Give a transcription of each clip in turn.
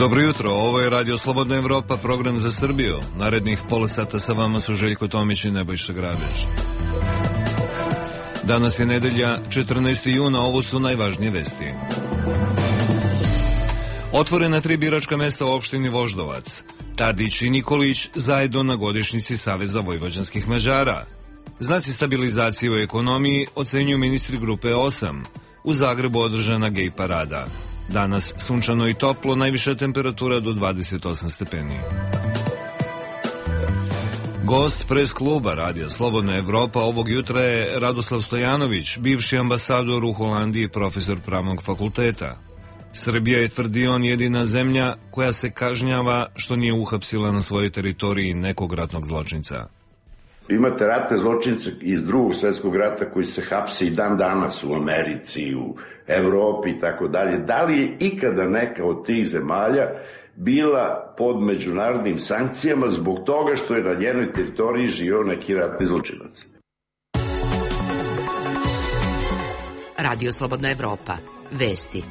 Dobro jutro, ovo je Radio Slobodna Evropa, program za Srbiju. Narednih pola sata sa vama su Željko Tomić i Nebojša Grabež. Danas je nedelja, 14. juna, ovo su najvažnije vesti. Otvorena 3 biračka mesta u opštini Voždovac. Tadić i Nikolić zajedno na godišnjici Saveza vojvođanskih Mađara. Znaci stabilizacije u ekonomiji ocenjuju ministri grupe 8. U Zagrebu održana gej parada. Danas sunčano i toplo, najviša temperatura do 28 stepeni. Gost pres kluba Radija Slobodna Evropa ovog jutra je Radoslav Stojanović, bivši ambasador u Holandiji, profesor pravnog fakulteta. Srbija je, tvrdi on, jedina zemlja koja se kažnjava što nije uhapsila na svojoj teritoriji nekog ratnog zločinca. Imate ratne zločince iz Drugog svjetskog rata koji se hapse i dan danas u Americi, u Evropi i tako dalje. Da li je ikada neka od tih zemalja bila pod međunarodnim sankcijama zbog toga što je na njenoj teritoriji živio neki ratni zločinac? Radio Slobodna Evropa. Vesti.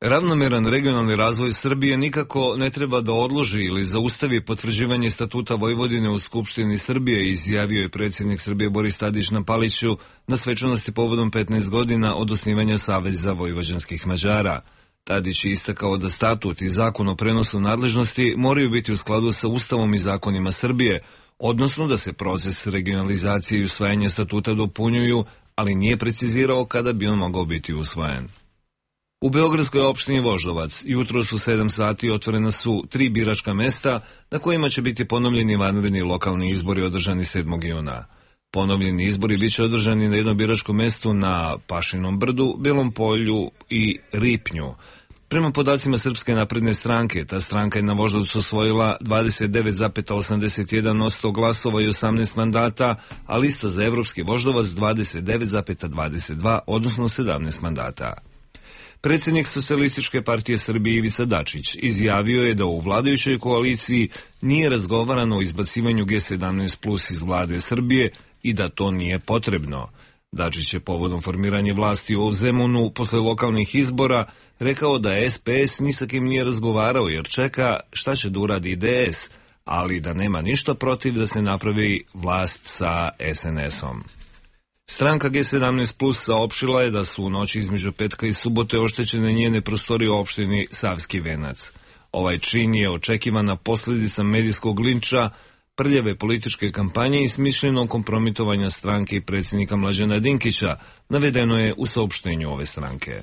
Ravnomeran regionalni razvoj Srbije nikako ne treba da odloži ili zaustavi potvrđivanje statuta Vojvodine u Skupštini Srbije, izjavio je predsjednik Srbije Boris Tadić na Paliću na svečanosti povodom 15 godina od osnivanja Saveza vojvođanskih Mađara. Tadić je istakao da statut i zakon o prenosu nadležnosti moraju biti u skladu sa Ustavom i zakonima Srbije, odnosno da se proces regionalizacije i usvajanja statuta dopunjuju, ali nije precizirao kada bi on mogao biti usvojen. U beogradskoj opštini Voždovac jutro su 7 sati otvorena su 3 biračka mesta na kojima će biti ponovljeni vanredni lokalni izbori održani 7. juna. Ponovljeni izbori biće održani na jednom biračkom mestu na Pašinom brdu, Belom polju i Ripnju. Prema podacima Srpske napredne stranke, ta stranka je na Voždovcu osvojila 29,81% glasova i 18 mandata, a lista za Evropski Voždovac 29,22, odnosno 17 mandata. Predsjednik Socijalističke partije Srbije Ivica Dačić izjavio je da u vladajućoj koaliciji nije razgovarano o izbacivanju G17 plus iz vlade Srbije i da to nije potrebno. Dačić je povodom formiranja vlasti u Zemunu posle lokalnih izbora rekao da SPS ni sa kim nije razgovarao jer čeka šta će da uradi DS, ali da nema ništa protiv da se napravi vlast sa SNS-om. Stranka G17 Plus saopštila je da su u noći između petka i subote oštećene njene prostorije u opštini Savski Venac. Ovaj čin je očekivana posljedica medijskog linča, prljave političke kampanje i smišljenog kompromitovanja stranke i predsjednika Mlađana Dinkića, navedeno je u saopštenju ove stranke.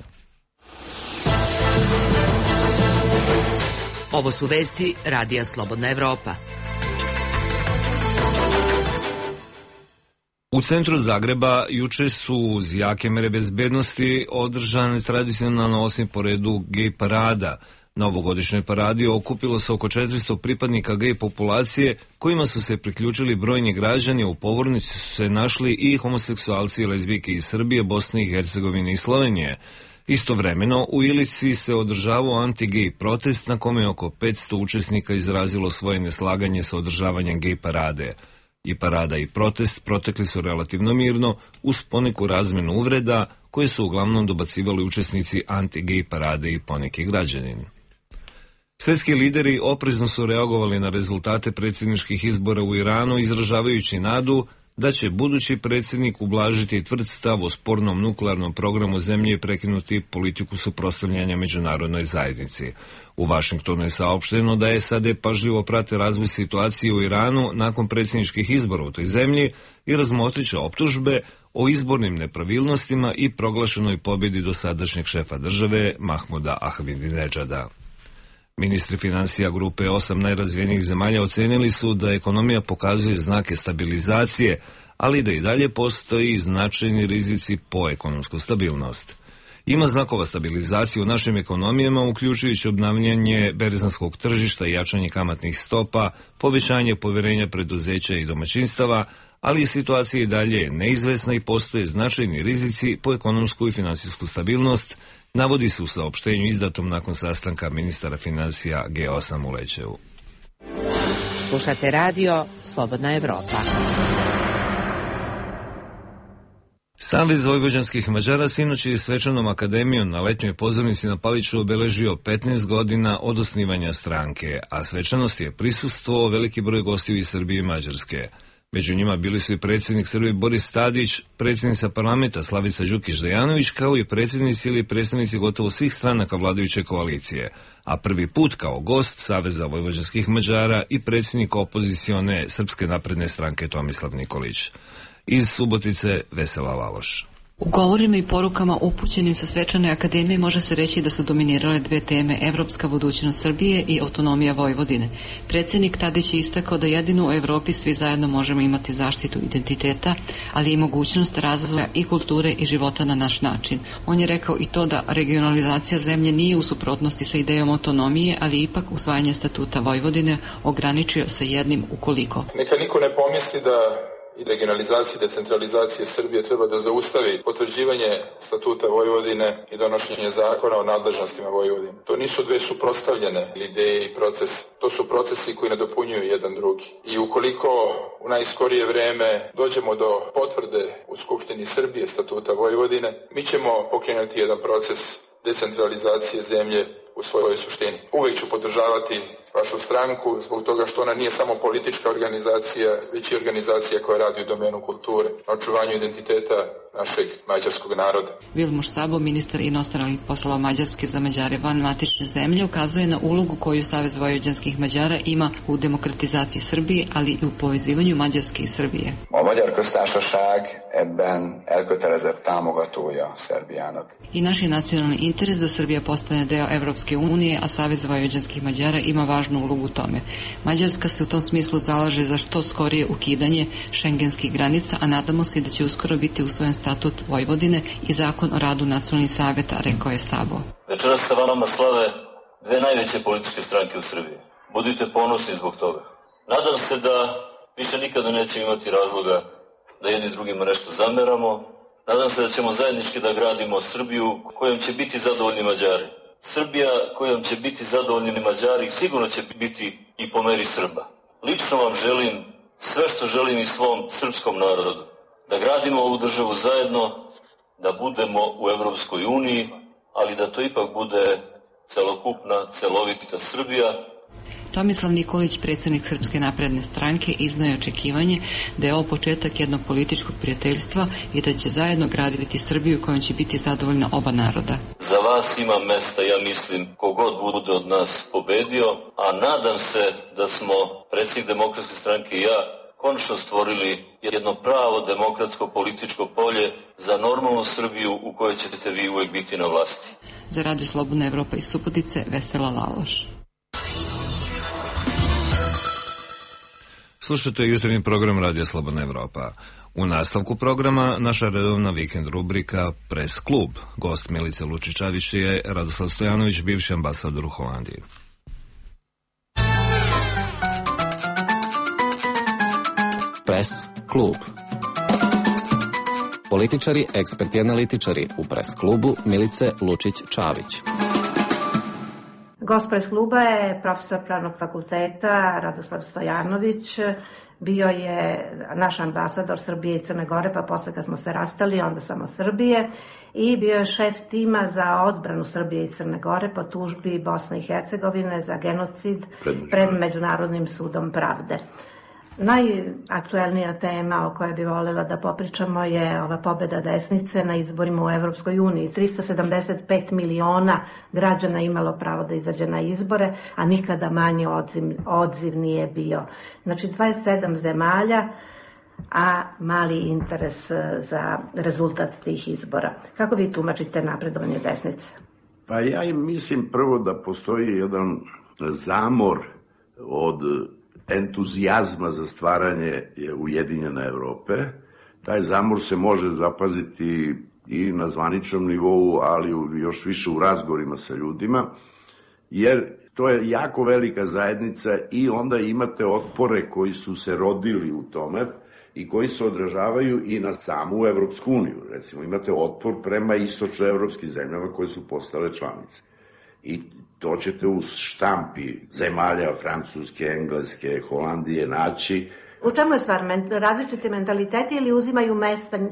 Ovo su vesti Radija Slobodna Evropa. U centru Zagreba juče su uz jake mere bezbednosti održane tradicionalno 8 po redu gej parada. Na ovogodišnjoj paradi okupilo se oko 400 pripadnika gej populacije kojima su se priključili brojni građani, u povornici su se našli i homoseksualci i lezbijke iz Srbije, Bosne i Hercegovine i Slovenije. Istovremeno u Ilici se održavao anti-gej protest na kome je oko 500 učesnika izrazilo svoje neslaganje sa održavanjem gej parade. I parada i protest protekli su relativno mirno uz poneku razmenu uvreda koje su uglavnom dobacivali učesnici anti-gej parade i poneki građanin. Svetski lideri oprezno su reagovali na rezultate predsjedničkih izbora u Iranu, izražavajući nadu da će budući predsjednik ublažiti tvrd stav o spornom nuklearnom programu zemlje i prekinuti politiku suprotstavljanja međunarodnoj zajednici. U Vašingtonu je saopšteno da SAD pažljivo prate razvoj situacije u Iranu nakon predsjedničkih izbora u toj zemlji i razmotrit će optužbe o izbornim nepravilnostima i proglašenoj pobjedi dosadašnjeg šefa države Mahmuda Ahmadinedžada. Ministri financija grupe 8 najrazvijenijih zemalja ocenili su da ekonomija pokazuje znake stabilizacije, ali da i dalje postoji značajni rizici po ekonomsku stabilnost. Ima znakova stabilizacije u našim ekonomijama, uključujući obnavljanje berzanskog tržišta i jačanje kamatnih stopa, povećanje povjerenja preduzeća i domaćinstava, ali situacija i dalje neizvesna i postoje značajni rizici po ekonomsku i finansijsku stabilnost, navodi se u saopštenju izdatom nakon sastanka ministara financija G8 u Lećevu. Slušate radio Slobodna Evropa. Savez vojvođanskih Mađara sinoć je svečanom akademijom na letnjoj pozornici na Paliću obeležio 15 godina od osnivanja stranke, a svečanosti je prisustvovao veliki broj gostiju iz Srbije i Mađarske. Među njima bili su i predsjednik Srbije Boris Tadić, predsjednica parlamenta Slavica Đukić-Dejanović, kao i predsjednici ili predstavnici gotovo svih stranaka vladajuće koalicije, a prvi put kao gost Saveza vojvođanskih Mađara i predsjednik opozicione Srpske napredne stranke Tomislav Nikolić. Iz Subotice Vesela Laloš. U govorima i porukama upućenim sa svečane akademije može se reći da su dominirale dve teme: evropska budućnost Srbije i autonomija Vojvodine. Predsjednik Tadić je istakao da jedino u Evropi svi zajedno možemo imati zaštitu identiteta, ali i mogućnost razvoja i kulture i života na naš način. On je rekao i to da regionalizacija zemlje nije u suprotnosti sa idejom autonomije, ali ipak usvajanje statuta Vojvodine ograničio sa jednim ukoliko. Neka niko ne pomisli da i regionalizacije i decentralizacije Srbije treba da zaustavi potvrđivanje statuta Vojvodine i donošenje zakona o nadležnostima Vojvodine. To nisu dve suprotstavljene ideje i proces. To su procesi koji nadopunjuju jedan drugi. I ukoliko u najskorije vreme dođemo do potvrde u Skupštini Srbije statuta Vojvodine, mi ćemo pokrenuti jedan proces decentralizacije zemlje u svojoj suštini. Uvijek ću podržavati vašu stranku zbog toga što ona nije samo politička organizacija, već i organizacija koja radi u domenu kulture, na očuvanju identiteta našeg mađarskog naroda. Vilmos Sabo, ministar inostranih poslova Mađarske za Mađare van matične zemlye, ukazuje na ulogu koju Savez vojvođanskih Mađara ima u demokratizaciji Srbije, ali i u povezivanju Mađarske i Srbije. A Magyar Köztársaság ebben elkötelezett támogatója Szerbiának. I naš je nacionalni interes da Srbija postane deo Evropske unije, a Savez vojvođanskih Mađara ima važnu ulogu u tome. Mađarska se u tom smislu zalaže za što skorije ukidanje šengenskih granica, a nadamo se da će uskoro biti usvojen statut Vojvodine i zakon o radu nacionalnih saveta, rekao je Sabo. Večeras sa vama slave dve najveće političke stranke u Srbiji. Budite ponosni zbog toga. Nadam se da više nikada nećemo imati razloga da jedni drugima nešto zameramo. Nadam se da ćemo zajednički da gradimo Srbiju kojom će biti zadovoljni Mađari. Srbija kojom će biti zadovoljni Mađari sigurno će biti i po meri Srba. Lično vam želim sve što želim i svom srpskom narodu. Da gradimo ovu državu zajedno, da budemo u Evropskoj uniji, ali da to ipak bude celokupna, celovita Srbija. Tomislav Nikolić, predsjednik Srpske napredne stranke, iznao je očekivanje da je ovo početak jednog političkog prijateljstva i da će zajedno graditi Srbiju kojom će biti zadovoljna oba naroda. Za vas ima mesta, ja mislim, kogod bude od nas pobedio, a nadam se da smo, predsjednik Demokratske stranke i ja, konačno stvorili jedno pravo demokratsko političko polje za normalnu Srbiju u kojoj ćete vi uvijek biti na vlasti. Za Radio Slobodna Evropa iz Subotice, Vesela Laloš. Slušajte jutarnji program Radija Slobodna Evropa. U nastavku programa naša redovna vikend rubrika Press Klub. Gost Milice Lučičavić je Radoslav Stojanović, bivši ambasador u Holandiji. Press Klub. Političari, eksperti, analitičari u Press Klubu Milice Lučić-Čavić. Gost Press Kluba je profesor Pravnog fakulteta Radoslav Stojanović. Bio je naš ambasador Srbije i Crne Gore, pa posle kad smo se rastali, onda samo Srbije. I bio je šef tima za odbranu Srbije i Crne Gore po tužbi Bosne i Hercegovine za genocid pred Međunarodnim sudom pravde. Najaktuelnija tema o kojoj bi voljela da popričamo je ova pobeda desnice na izborima u Evropskoj uniji. 375 miliona građana imalo pravo da izađe na izbore, a nikada manji odziv nije bio. Znači 27 zemalja, a mali interes za rezultat tih izbora. Kako vi tumačite napredovanje desnice? Pa ja mislim prvo da postoji jedan zamor od entuzijazma za stvaranje Ujedinjene Evrope. Taj zamor se može zapaziti i na zvaničnom nivou, ali još više u razgovorima sa ljudima, jer to je jako velika zajednica i onda imate otpore koji su se rodili u tome i koji se odražavaju i na samu Evropsku uniju. Recimo, imate otpor prema istočnoevropskim zemljama koje su postale članice. I to ćete u štampi zemalja Francuske, Engleske, Holandije naći U čemu je stvar? Različiti mentaliteti ili uzimaju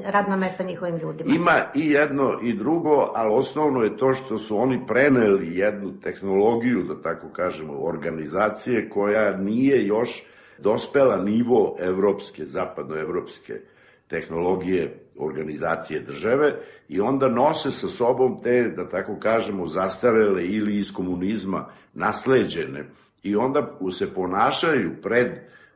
radna mesta njihovim ljudima? Ima i jedno i drugo, ali osnovno je to što su oni preneli jednu tehnologiju, da tako kažemo, organizacije koja nije još dospela nivo evropske, zapadnoevropske tehnologije organizacije države i onda nose sa sobom te, da tako kažemo, zastarele ili iz komunizma nasleđene i onda se ponašaju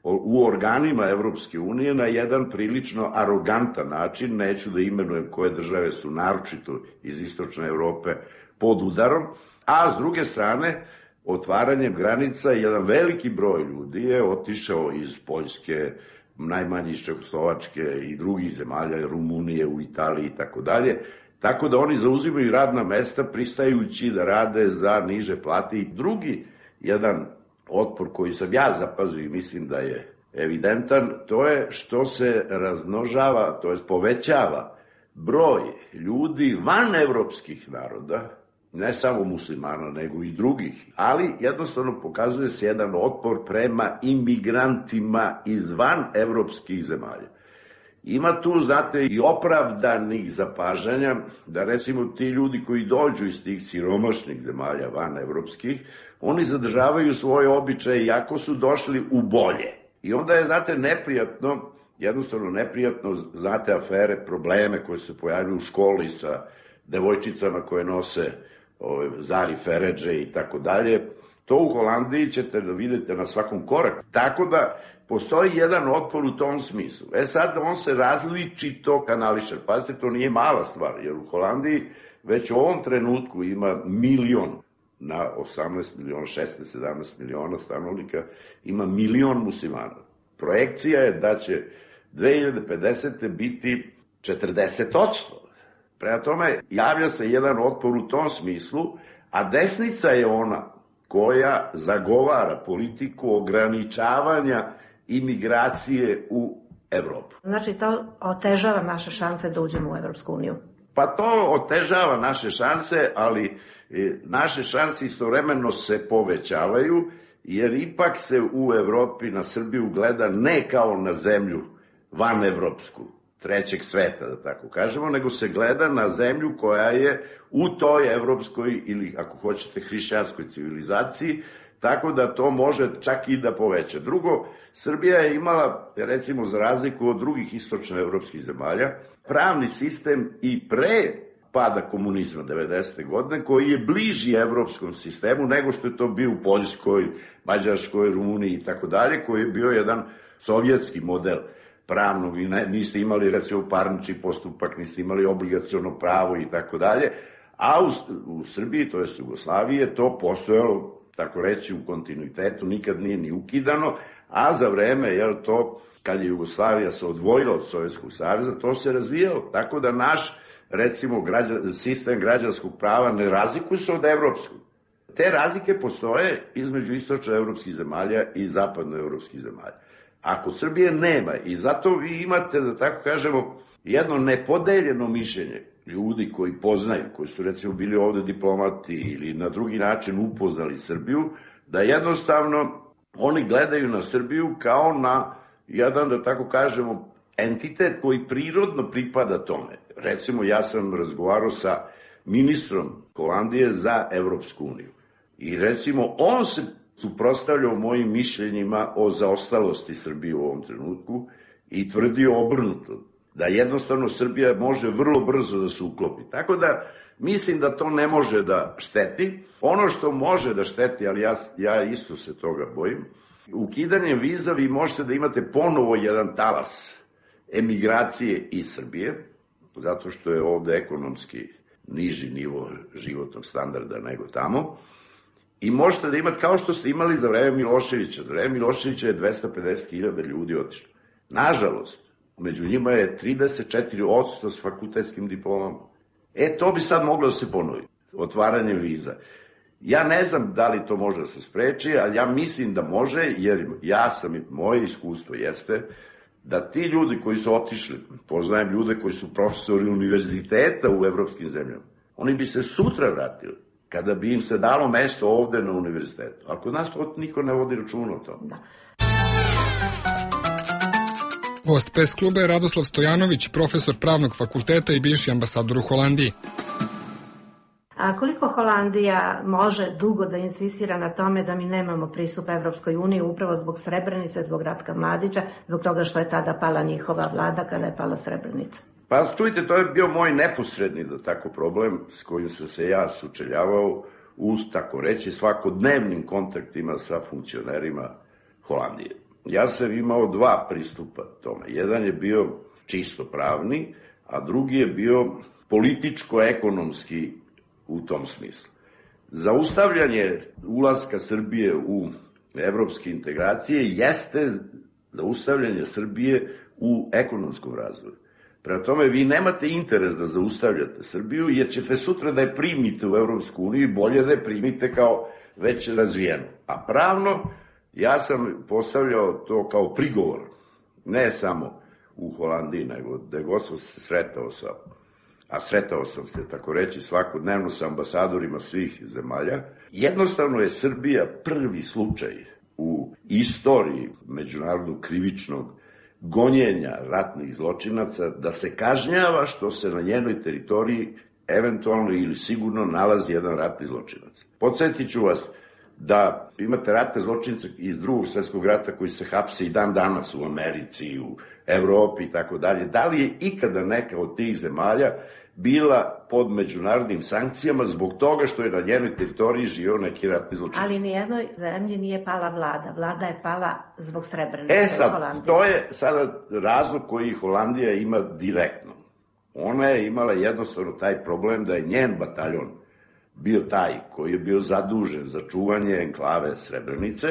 u organima Evropske unije na jedan prilično arogantan način, neću da imenujem koje države su naročito iz istočne Evrope pod udarom, a s druge strane, otvaranjem granica jedan veliki broj ljudi je otišao iz Poljske, najmanje iz Čehoslovačke i drugih zemalja, Rumunije, u Italiji i tako dalje, tako da oni zauzimaju radna mesta pristajući da rade za niže plate. I drugi jedan otpor koji sam ja zapazio i mislim da je evidentan, to je što se razmnožava, to je povećava broj ljudi van evropskih naroda, ne samo muslimana, nego i drugih, ali jednostavno pokazuje se jedan otpor prema imigrantima izvan evropskih zemalja. Ima tu, znate, i opravdanih zapažanja, da recimo ti ljudi koji dođu iz tih siromašnih zemalja van evropskih, oni zadržavaju svoje običaje iako su došli u bolje. I onda je, znate, neprijatno, jednostavno neprijatno, znate, afere, probleme koje se pojavljaju u školi sa devojčicama koje nose Zari Feredže i tako dalje. To u Holandiji ćete da vidite na svakom koraku. Tako da postoji jedan otpor u tom smislu. Sad on se različito kanališe. Pazite, to nije mala stvar, jer u Holandiji već u ovom trenutku ima 1 milion na 18 miliona, 16-17 miliona stanovnika, ima 1 milion muslimana. Projekcija je da će 2050. biti 40%. Prema tome, javlja se jedan otpor u tom smislu, a desnica je ona koja zagovara politiku ograničavanja imigracije u Evropu. Znači, to otežava naše šanse da uđemo u Evropsku uniju? Pa to otežava naše šanse, ali naše šanse istovremeno se povećavaju, jer ipak se u Evropi na Srbiju gleda ne kao na zemlju vanevropsku, trećeg sveta, da tako kažemo, nego se gleda na zemlju koja je u toj evropskoj ili, ako hoćete, hrišćanskoj civilizaciji, tako da to može čak i da poveća. Drugo, Srbija je imala, recimo za razliku od drugih istočnoevropskih zemalja, pravni sistem i pre pada komunizma 90. godine, koji je bliži evropskom sistemu nego što je to bio u Poljskoj, Mađarskoj, Rumuniji i tako dalje, koji je bio jedan sovjetski model pravnog, vi niste imali recimo parnični postupak, niste imali obligaciono pravo i tako dalje, a u Srbiji, to je Jugoslaviji, je to postojalo, tako reći, u kontinuitetu, nikad nije ni ukidano, a za vreme, to, kad je Jugoslavija se odvojila od Sovjetskog saveza, to se razvijalo, tako da naš, recimo, sistem građanskog prava ne razlikuje se od evropskog. Te razlike postoje između istočnoevropskih zemalja i zapadnoevropskih zemalja. Ako Srbije nema, i zato vi imate, da tako kažemo, jedno nepodeljeno mišljenje ljudi koji poznaju, koji su recimo bili ovde diplomati ili na drugi način upoznali Srbiju, da jednostavno oni gledaju na Srbiju kao na jedan, da tako kažemo, entitet koji prirodno pripada tome. Recimo, ja sam razgovarao sa ministrom Holandije za Evropsku uniju i recimo on se suprotstavljao mojim mišljenjima o zaostalosti Srbije u ovom trenutku i tvrdio obrnuto, da jednostavno Srbija može vrlo brzo da se uklopi. Tako da mislim da to ne može da šteti. Ono što može da šteti, ali ja isto se toga bojim, ukidanjem viza vi možete da imate ponovo jedan talas emigracije iz Srbije, zato što je ovde ekonomski niži nivo životnog standarda nego tamo, i možete da imate, kao što ste imali za vreme Miloševića. Za vreme Miloševića je 250.000 ljudi otišlo. Nažalost, među njima je 34% s fakultetskim diplomama. To bi sad moglo da se ponovi, otvaranjem viza. Ja ne znam da li to može da se spreči, ali ja mislim da može, jer moje iskustvo jeste da ti ljudi koji su otišli, poznajem ljude koji su profesori univerziteta u evropskim zemljama, oni bi se sutra vratili kada bi im se dalo mesto ovde na univerzitetu. Ali kod nas to niko ne vodi računa o tome. Gost Pes kluba je Radoslav Stojanović, profesor pravnog fakulteta i bivši ambasador u Holandiji. A koliko Holandija može dugo da insistira na tome da mi nemamo pristup Evropskoj uniji upravo zbog Srebrenice, zbog Ratka Mladića, zbog toga što je tada pala njihova vlada kada je pala Srebrenica? Pa čujte, to je bio moj neposredni, da tako, problem s kojim sam se ja sučeljavao u, tako reći, svakodnevnim kontaktima sa funkcionerima Holandije. Ja sam imao dva pristupa tome. Jedan je bio čisto pravni, a drugi je bio političko-ekonomski u tom smislu. Zaustavljanje ulaska Srbije u evropske integracije jeste zaustavljanje Srbije u ekonomskom razvoju. Prema tome, vi nemate interes da zaustavljate Srbiju, jer ćete sutra da je primite u Evropsku uniju i bolje da je primite kao već razvijeno. A pravno, ja sam postavljao to kao prigovor, ne samo u Holandiji, nego da god sam se sretao sa, a sretao sam se, tako reći, svakodnevno sa ambasadorima svih zemalja. Jednostavno je Srbija prvi slučaj u istoriji međunarodnog krivičnog gonjenja ratnih zločinaca da se kažnjava što se na njenoj teritoriji eventualno ili sigurno nalazi jedan ratni zločinac. Podsjetit ću vas da imate ratne zločince iz Drugog svjetskog rata koji se hapse i dan danas u Americi, u Evropi i tako dalje. Da li je ikada neka od tih zemalja bila pod međunarodnim sankcijama zbog toga što je na njenoj teritoriji živio neki ratni zločinac? Ali nijednoj zemlji nije pala vlada. Vlada je pala zbog Srebrenice. Sad, to je sada razlog koji Holandija ima direktno. Ona je imala jednostavno taj problem da je njen bataljon bio taj koji je bio zadužen za čuvanje enklave Srebrenice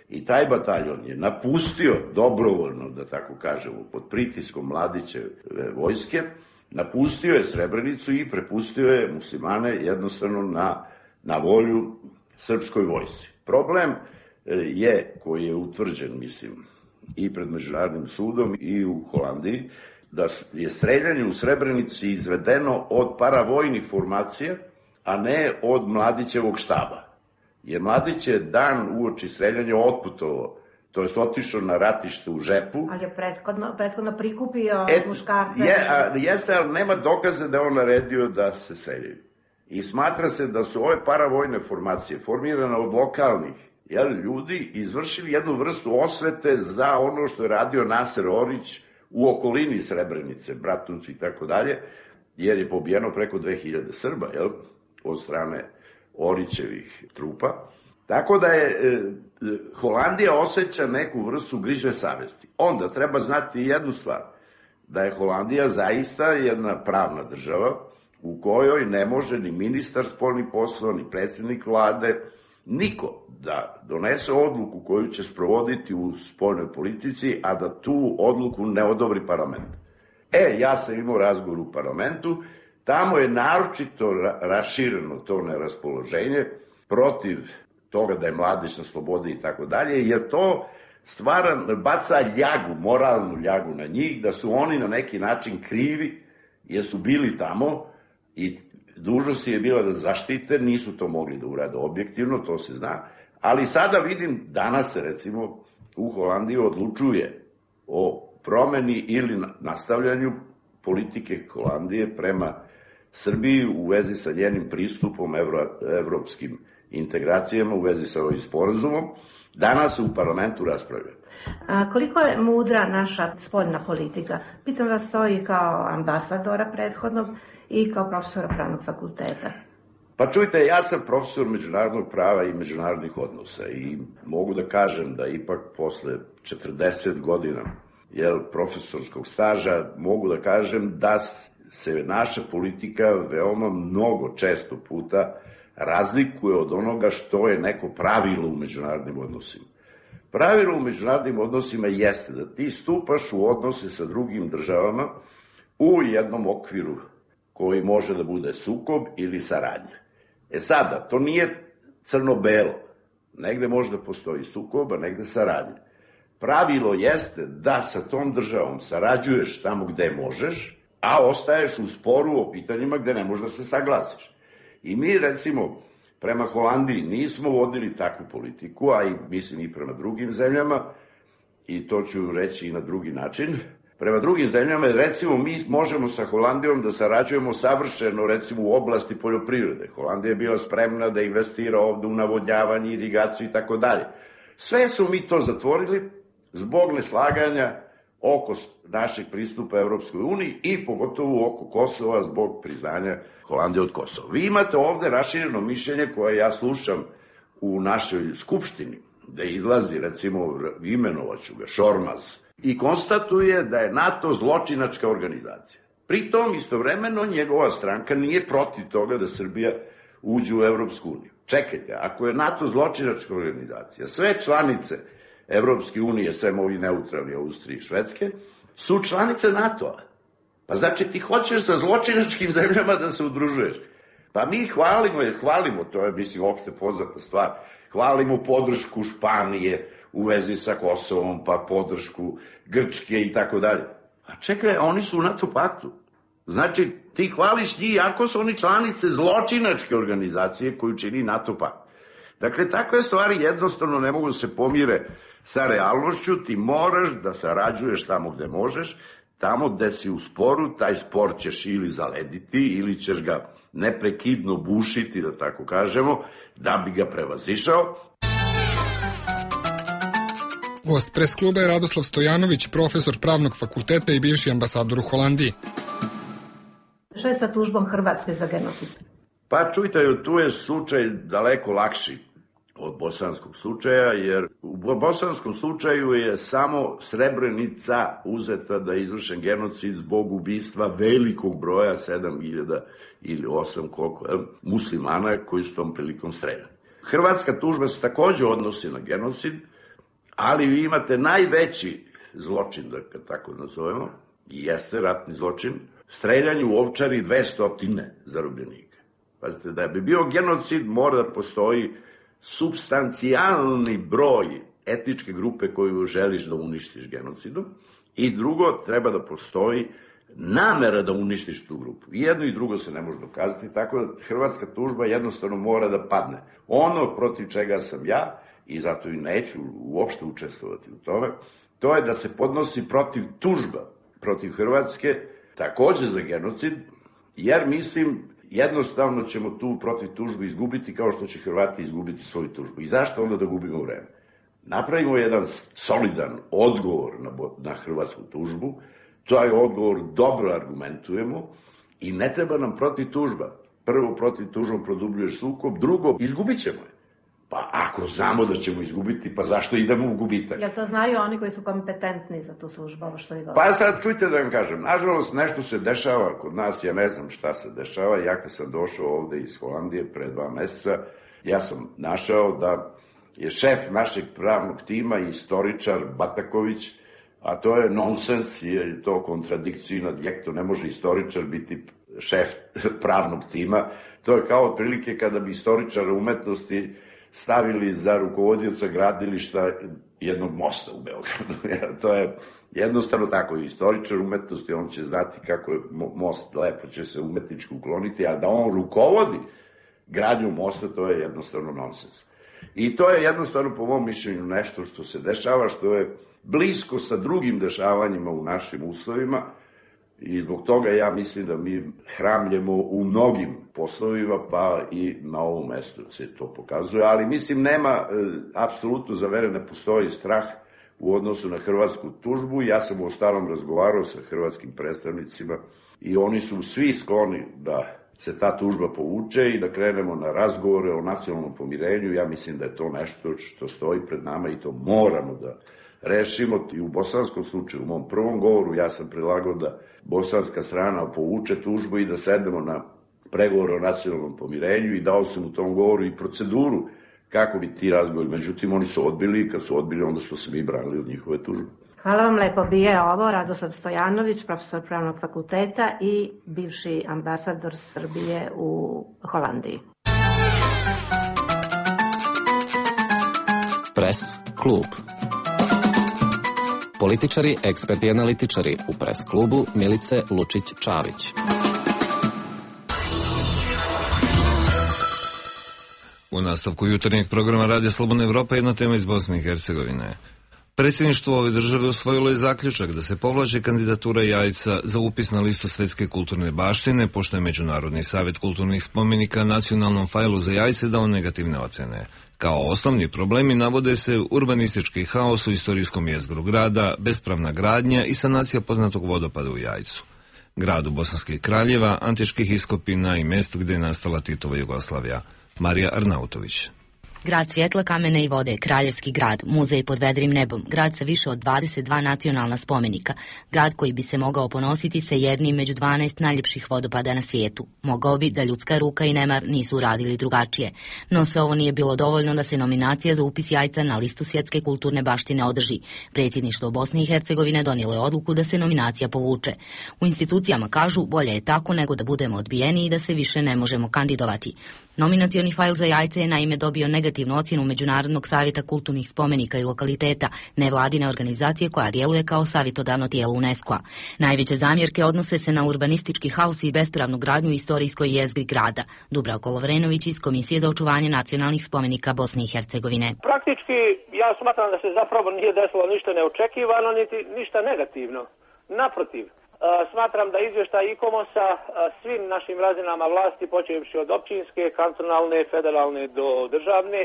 i taj bataljon je napustio dobrovoljno, da tako kažemo, pod pritiskom Mladićeve vojske, napustio je Srebrenicu i prepustio je muslimane jednostavno na volju srpskoj vojsci. Problem je, koji je utvrđen, mislim, i pred Međunarodnim sudom i u Holandiji, da je streljanje u Srebrenici izvedeno od paravojnih formacija, a ne od Mladićevog štaba. Jer Mladić je dan uoči streljanja otputovao, to je otišao na ratište u Žepu. Ali je prethodno prikupio muškarce. Jeste, ali nema dokaza da je on naredio da se streljaju. I smatra se da su ove paravojne formacije formirane od lokalnih ljudi izvršili jednu vrstu osvete za ono što je radio Naser Orić u okolini Srebrenice, Bratuncu i tako dalje, jer je pobijeno preko 2000 Srba, od strane Orićevih trupa. Tako da je Holandija osjeća neku vrstu grižne savesti. Onda treba znati jednu stvar, da je Holandija zaista jedna pravna država u kojoj ne može ni ministar spoljnih poslova, ni predsjednik vlade, niko da donese odluku koju će sprovoditi u spoljnoj politici, a da tu odluku ne odobri parlament. Ja sam imao razgovor u parlamentu, tamo je naročito rašireno to neraspoloženje protiv toga da je Mladić na slobodi i tako dalje, jer to baca ljagu, moralnu ljagu na njih, da su oni na neki način krivi, jer su bili tamo i dužnost je bila da zaštite, nisu to mogli da urade objektivno, to se zna, ali sada vidim, danas se recimo u Holandiji odlučuje o promeni ili nastavljanju politike Holandije prema Srbiji u vezi sa njenim pristupom evropskim integracijama, u vezi sa ovim sporazumom. Danas se u parlamentu raspravlja. Koliko je mudra naša spoljna politika? Pitam vas to i kao ambasadora prethodnog i kao profesora pravnog fakulteta. Pa čujte, ja sam profesor međunarodnog prava i međunarodnih odnosa i mogu da kažem da ipak posle 40 godina profesorskog staža mogu da kažem da se naša politika veoma mnogo često puta razlikuje od onoga što je neko pravilo u međunarodnim odnosima. Pravilo u međunarodnim odnosima jeste da ti stupaš u odnose sa drugim državama u jednom okviru koji može da bude sukob ili saradnja. Sada, to nije crno-belo. Negde možda postoji sukob, a negde saradnja. Pravilo jeste da sa tom državom sarađuješ tamo gde možeš, a ostaješ u sporu o pitanjima gde ne možeš da se saglasiš. I mi, recimo, prema Holandiji nismo vodili takvu politiku, a i mislim i prema drugim zemljama, i to ću reći i na drugi način, prema drugim zemljama. Recimo, mi možemo sa Holandijom da sarađujemo savršeno, recimo, u oblasti poljoprivrede. Holandija je bila spremna da investira ovde u navodnjavanje, irigaciju i tako dalje. Sve su mi to zatvorili zbog neslaganja oko našeg pristupa Evropskoj uniji i pogotovo oko Kosova zbog priznanja Holandije od Kosova. Vi imate ovde rašireno mišljenje koje ja slušam u našoj skupštini, da izlazi, recimo, imenovaću ga, Šormaz, i konstatuje da je NATO zločinačka organizacija. Pritom, istovremeno, njegova stranka nije protiv toga da Srbija uđe u Evropsku uniju. Čekajte, ako je NATO zločinačka organizacija, sve članice Evropske unije, sem ovi neutralni Austrije i Švedske, su članice NATO-a. Pa znači ti hoćeš sa zločinačkim zemljama da se udružuješ. Pa mi hvalimo, to je, mislim, opšte poznata stvar, hvalimo podršku Španije u vezi sa Kosovom, pa podršku Grčke i tako dalje. A čekaj, oni su u NATO paktu. Znači, ti hvališ njih, ako su oni članice zločinačke organizacije koju čini NATO pakt. Dakle, takve stvari jednostavno ne mogu da se pomire sa realnošću, ti moraš da sarađuješ tamo gde možeš, tamo gde si u sporu, taj spor ćeš ili zalediti, ili ćeš ga neprekidno bušiti, da tako kažemo, da bi ga prevazišao. Gost pres kluba je Radoslav Stojanović, profesor pravnog fakulteta i bivši ambasador u Holandiji. Šta je sa tužbom Hrvatske za genocid? Pa čujte, tu je slučaj daleko lakši od bosanskog slučaja, jer u bosanskom slučaju je samo Srebrenica uzeta da je izvršen genocid zbog ubistva velikog broja, 7.000 ili 8, koliko, muslimana koji su tom prilikom streljani. Hrvatska tužba se takođe odnosi na genocid, ali vi imate najveći zločin, da ga tako nazovemo, i jeste ratni zločin, streljanje u Ovčari 200 zarobljenika. Pazite, da bi bio genocid mora da postoji supstancijalni broj etničke grupe koju želiš da uništiš genocidom i drugo, treba da postoji namera da uništiš tu grupu. I jedno i drugo se ne može dokazati, tako da hrvatska tužba jednostavno mora da padne. Ono protiv čega sam ja, i zato i neću uopšte učestvovati u tome, to je da se podnosi protiv tužba, protiv Hrvatske, takođe za genocid, jer mislim, jednostavno ćemo tu protiv tužbu izgubiti kao što će Hrvati izgubiti svoju tužbu. I zašto onda da gubimo vreme? Napravimo jedan solidan odgovor na hrvatsku tužbu, taj odgovor dobro argumentujemo i ne treba nam protiv tužba. Prvo, protiv tužbom produbljuješ sukob, drugo, izgubit ćemo je. Pa ako znamo da ćemo izgubiti, pa zašto idemo u gubitak? Jel to znaju oni koji su kompetentni za tu službu, ovo što je dobro? Pa sad čujte da vam kažem, nažalost nešto se dešava kod nas, ja ne znam šta se dešava, ja kad sam došao ovde iz Holandije pre 2 meseca, ja sam našao da je šef našeg pravnog tima istoričar Bataković, a to je nonsens, je to kontradikcija in adjecto, ne može istoričar biti šef pravnog tima, to je kao otprilike kada bi istoričara umetnosti stavili za rukovodioca gradilišta jednog mosta u Beogradu. To je jednostavno tako. Istoričar umetnosti, on će znati kako je most lepo će se umetnički ukloniti, a da on rukovodi gradnju mosta, to je jednostavno nonsens. I to je jednostavno, po mom mišljenju, nešto što se dešava, što je blisko sa drugim dešavanjima u našim uslovima, i zbog toga ja mislim da mi hramljemo u mnogim poslovima, pa i na ovom mestu se to pokazuje, ali mislim nema, apsolutno za mene ne postoji strah u odnosu na hrvatsku tužbu. Ja sam u ostalom razgovarao sa hrvatskim predstavnicima i oni su svi skloni da se ta tužba povuče i da krenemo na razgovore o nacionalnom pomirenju. Ja mislim da je to nešto što stoji pred nama i to moramo da rešimo. I u bosanskom slučaju, u mom prvom govoru, ja sam predlagao da bosanska strana povuče tužbu i da sednemo na pregovore o nacionalnom pomirenju i dao sam u tom govoru i proceduru kako bi ti razgovori. Međutim, oni su odbili i kad su odbili, onda smo se mi branili od njihove tužbe. Hvala vam lepo. Bije ovo Radoslav Stojanović, profesor pravnog fakulteta i bivši ambasador Srbije u Holandiji. Pres klub. Političari, eksperti i analitičari u pres klubu Milice Lučić-Čavić. U nastavku jutarnjeg programa Radija Slobodna Evropa jedna tema iz Bosne i Hercegovine. Predsjedništvo ove države usvojilo je zaključak da se povlači kandidatura Jajca za upis na listu svetske kulturne baštine, pošto je Međunarodni savjet kulturnih spomenika nacionalnom fajlu za Jajce dao negativne ocene. Kao osnovni problemi navode se urbanistički haos u istorijskom jezgru grada, bespravna gradnja i sanacija poznatog vodopada u Jajcu, gradu Bosanskih kraljeva, antičkih iskopina i mjesto gdje je nastala Titova Jugoslavija. Marija Arnautović. Grad svjetla, kamene i vode, kraljevski grad, muzej pod vedrim nebom, grad sa više od 22 nacionalna spomenika, grad koji bi se mogao ponositi sa jednim među 12 najljepših vodopada na svijetu. Mogao bi da ljudska ruka i nemar nisu uradili drugačije. No sve ovo nije bilo dovoljno da se nominacija za upis Jajca na listu svjetske kulturne baštine održi. Predsjedništvo Bosne i Hercegovine donijelo je odluku da se nominacija povuče. U institucijama kažu bolje je tako nego da budemo odbijeni i da se više ne možemo kandidovati. Nominacioni fajl za Jajce je naime dobio negativnu ocjenu Međunarodnog savjeta kulturnih spomenika i lokaliteta, nevladine organizacije koja djeluje kao savjetodavno tijelo UNESCO-a. Najveće zamjerke odnose se na urbanistički haos i bespravnu gradnju u istorijskoj jezgri grada. Dubravko Lovrenović iz Komisije za očuvanje nacionalnih spomenika Bosne i Hercegovine. Praktički ja smatram da se zapravo nije desilo ništa neočekivano niti ništa negativno. Naprotiv. Smatram da izvještaj ICOMOS-a svim našim razinama vlasti, počevši od općinske, kantonalne, federalne do državne,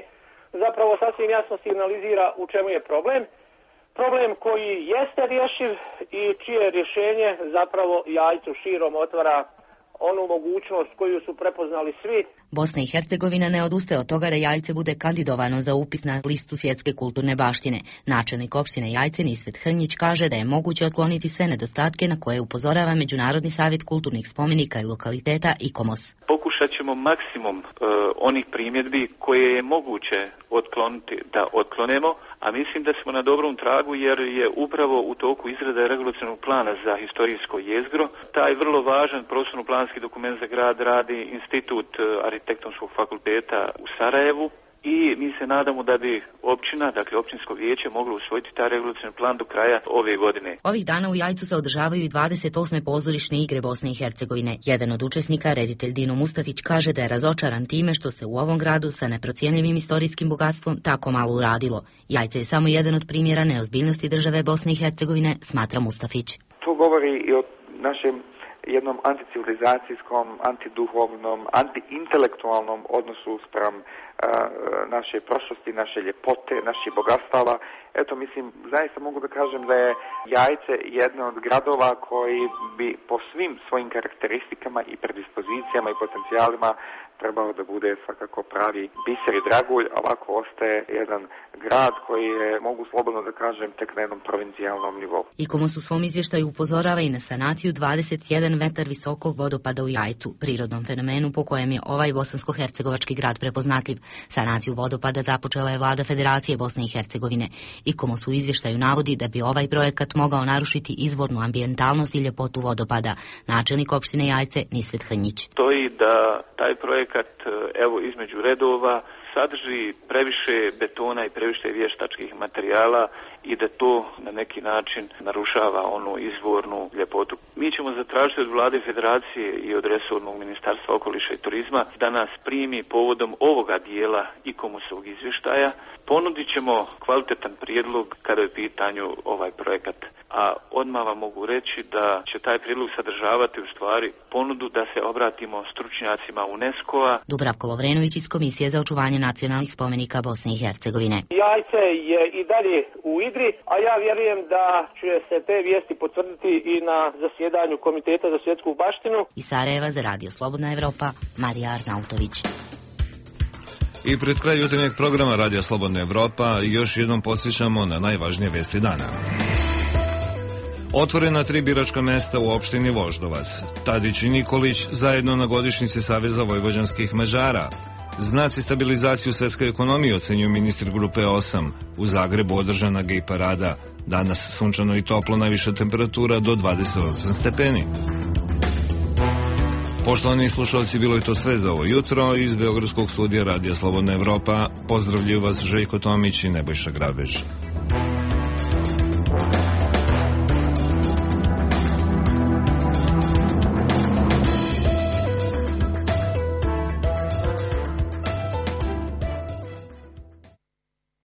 zapravo sasvim jasno signalizira u čemu je problem. Problem koji jeste rješiv i čije rješenje zapravo Jajcu širom otvara onu mogućnost koju su prepoznali svi. Bosna i Hercegovina ne odustaje od toga da Jajce bude kandidovano za upis na listu svjetske kulturne baštine. Načelnik opštine Jajce Nisvet Hrnjić kaže da je moguće otkloniti sve nedostatke na koje upozorava Međunarodni savjet kulturnih spomenika i lokaliteta ICOMOS. Pokušat ćemo maksimum onih primjedbi koje je moguće otkloniti da otklonemo, a mislim da smo na dobrom tragu jer je upravo u toku izrada regulacionog plana za historijsko jezgro. Taj vrlo važan prostorno-planski dokument za grad radi Institut Arhitektonskog fakulteta u Sarajevu i mi se nadamo da bi općina, dakle općinsko vijeće, moglo usvojiti taj regulacioni plan do kraja ove godine. Ovih dana u Jajcu se održavaju i 28. pozorišne igre Bosne i Hercegovine. Jedan od učesnika, reditelj Dino Mustafić, kaže da je razočaran time što se u ovom gradu sa neprocijenjivim istorijskim bogatstvom tako malo uradilo. Jajce je samo jedan od primjera neozbiljnosti države Bosne i Hercegovine, smatra Mustafić. To govori i o našem jednom anticivilizacijskom, antiduhovnom, antiintelektualnom odnosu spram naše prošlosti, naše ljepote, naših bogatstava. Eto, mislim, zaista mogu da kažem da je Jajce jedno od gradova koji bi po svim svojim karakteristikama i predispozicijama i potencijalima trebao da bude svakako pravi biser i dragulj, a ovako ostaje jedan grad koji je, mogu slobodno da kažem, tek na jednom provincijalnom nivou. ICOMOS u svom izvještaju upozorava i na sanaciju 21 metar visokog vodopada u Jajcu, prirodnom fenomenu po kojem je ovaj bosansko-hercegovački grad prepoznatljiv. Sanaciju vodopada započela je vlada Federacije Bosne i Hercegovine. ICOMOS u izvještaju navodi da bi ovaj projekat mogao narušiti izvornu ambijentalnost i ljepotu vodopada. Načelnik opštine Jajce Nisvet Hrnjić. Stoji da taj projekat, evo između redova, sadrži previše betona i previše vještačkih materijala i da to na neki način narušava onu izvornu ljepotu. Mi ćemo zatražiti od vlade Federacije i od resornog Ministarstva okoliša i turizma da nas primi povodom ovoga dijela ICOMOS-ovog izvještaja. Ponudit ćemo kvalitetan prijedlog kada je u pitanju ovaj projekat. A odmah vam mogu reći da će taj prijedlog sadržavati u stvari ponudu da se obratimo stručnjacima UNESCO-a. Dubravko Lovrenović iz Komisije za očuvanje nacionalnih spomenika Bosne i Hercegovine. Jajce je i dalje u igri, a ja vjerujem da će se te vijesti potvrditi i na zasjedanju Komiteta za svjetsku baštinu. Iz Sarajeva za Radio Slobodna Evropa, Marija Arnautović. I pred kraj jutarnjeg programa Radio Slobodna Evropa još jednom podsjećamo na najvažnije vesti dana. Otvorena 3 biračka mesta u opštini Voždovac. Tadić i Nikolić zajedno na godišnjici Saveza vojvođanskih Mađara. Znaci stabilizacije u svetskoj ekonomiji, ocenjuju ministri grupe 8. U Zagrebu održana gej parada. Danas sunčano i toplo, najviša temperatura do 28 stepeni. Poštovani slušalci, bilo je to sve za ovo jutro. Iz Beogradskog studija Radija Slobodna Evropa pozdravljaju vas Željko Tomić i Nebojša Grabež.